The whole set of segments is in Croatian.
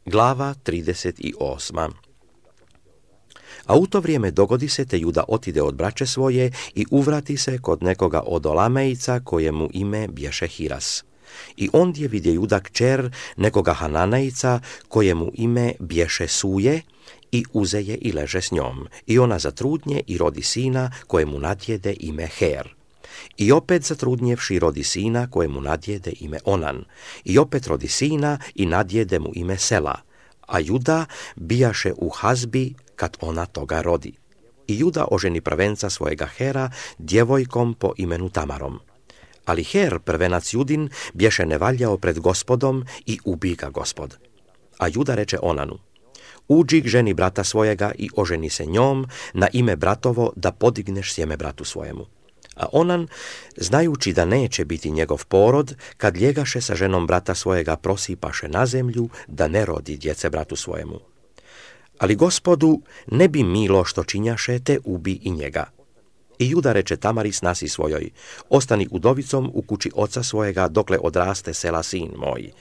Glava 38. A u to vrijeme dogodi se te Juda otide od braće svoje i uvrati se kod nekoga od Olamejca kojemu ime bješe Hiras. I ondje vidje Juda kćer nekoga Hananejca kojemu ime bješe Suje i uze je i leže s njom. I ona zatrudnje i rodi sina kojemu nadjede ime Her. I opet zatrudnjevši rodi sina kojemu nadjede ime Onan. I opet rodi sina i nadjede mu ime Sela. A Juda bijaše u Hazbi kad ona toga rodi. I Juda oženi prvenca svojega Hera djevojkom po imenu Tamarom. Ali Her, prvenac Judin, bješe nevaljao pred Gospodom i ubi ga Gospod. A Juda reče Onanu: uđi k ženi brata svojega i oženi se njom na ime bratovo da podigneš sjeme bratu svojemu. A Onan, znajući da neće biti njegov porod, kad ljegaše sa ženom brata svojega, prosipaše na zemlju da ne rodi djece bratu svojemu. Ali Gospodu ne bi milo što činjaše, te ubi i njega. I Juda reče Tamari snasi svojoj: ostani udovicom u kući oca svojega dokle odraste Sela sin moj.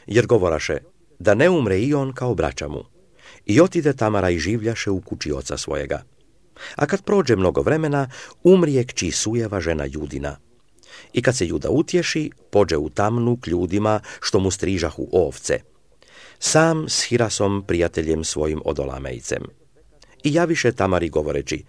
Jer govoraše da ne umre i on kao braća mu. I otide Tamara i življaše u kući oca svojega. A kad prođe mnogo vremena, umrije kći Sujeva žena Judina. I kad se Juda utješi, pođe u tamnu k ljudima što mu strižahu ovce, sam s Hirasom prijateljem svojim od Olamejcem. I javiše Tamari govoreći: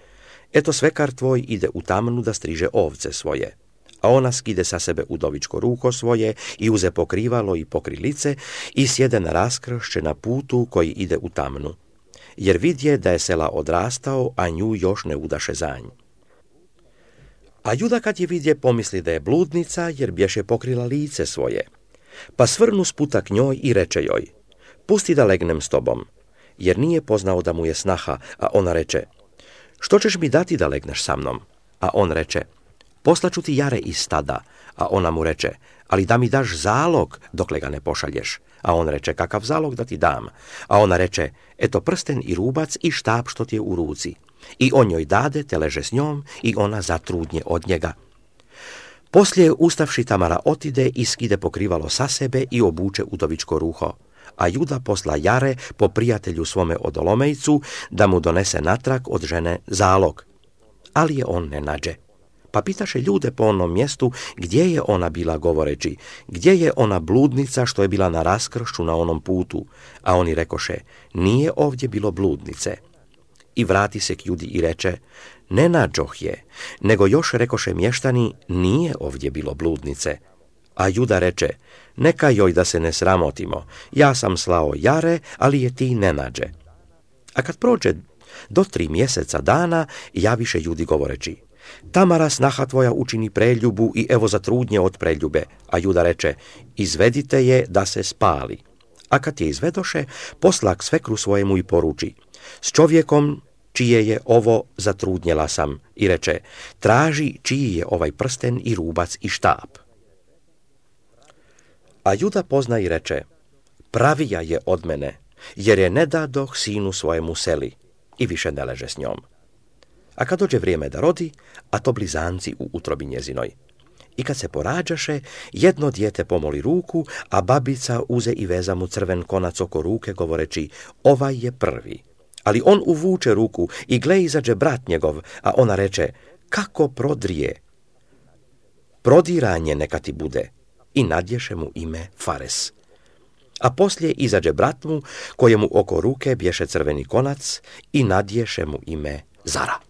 eto svekar tvoj ide u tamnu da striže ovce svoje. A ona skide sa sebe udovičko ruho svoje i uze pokrivalo i pokri lice i sjede na raskršće na putu koji ide u tamnu. Jer vidje da je Sela odrastao, a nju još ne udaše za nj. A Juda kad je vidje pomisli da je bludnica, jer bješe pokrila lice svoje. Pa svrnu sputa k njoj i reče joj: pusti da legnem s tobom, jer nije poznao da mu je snaha, a ona reče: što ćeš mi dati da legneš sa mnom? A on reče: poslaću ti jare iz stada. A ona mu reče: ali da mi daš zalog dokle ga ne pošalješ. A on reče: kakav zalog da ti dam? A ona reče: eto prsten i rubac i štap što ti je u ruci. I on joj dade, te leže s njom i ona zatrudnje od njega. Poslije ustavši Tamara otide i skide pokrivalo sa sebe i obuče udovičko ruho. A Juda posla jare po prijatelju svome od Olomejcu da mu donese natrag od žene zalog. Ali je on ne nađe. Pa pitaše ljude po onom mjestu gdje je ona bila, govoreći: gdje je ona bludnica što je bila na raskršću na onom putu? A oni rekoše: nije ovdje bilo bludnice. I vrati se k Judi i reče: ne nađoh je, nego još rekoše mještani: nije ovdje bilo bludnice. A Juda reče: neka joj da se ne sramotimo, ja sam slao jare, ali je ti ne nađe. A kad prođe do 3 mjeseca dana, javiše Judi govoreći: Tamara snaha tvoja učini preljubu i evo zatrudnje od preljube. A Juda reče: izvedite je da se spali. A kad je izvedoše, posla k svekru svojemu i poruči: s čovjekom čije je ovo zatrudnjela sam. I reče: traži čiji je ovaj prsten i rubac i štap. A Juda pozna i reče: pravija je od mene, jer je ne dadoh sinu svojemu Seli. I više ne leže s njom. A kad dođe vrijeme da rodi, a to blizanci u utrobi njezinoj. I kad se porađaše, jedno dijete pomoli ruku, a babica uze i veza mu crven konac oko ruke, govoreći: ovaj je prvi. Ali on uvuče ruku i gle izađe brat njegov, a ona reče: kako prodrije? Prodiranje neka ti bude. I nadješe mu ime Fares. A poslije izađe brat mu, kojemu oko ruke bješe crveni konac, i nadješe mu ime Zara.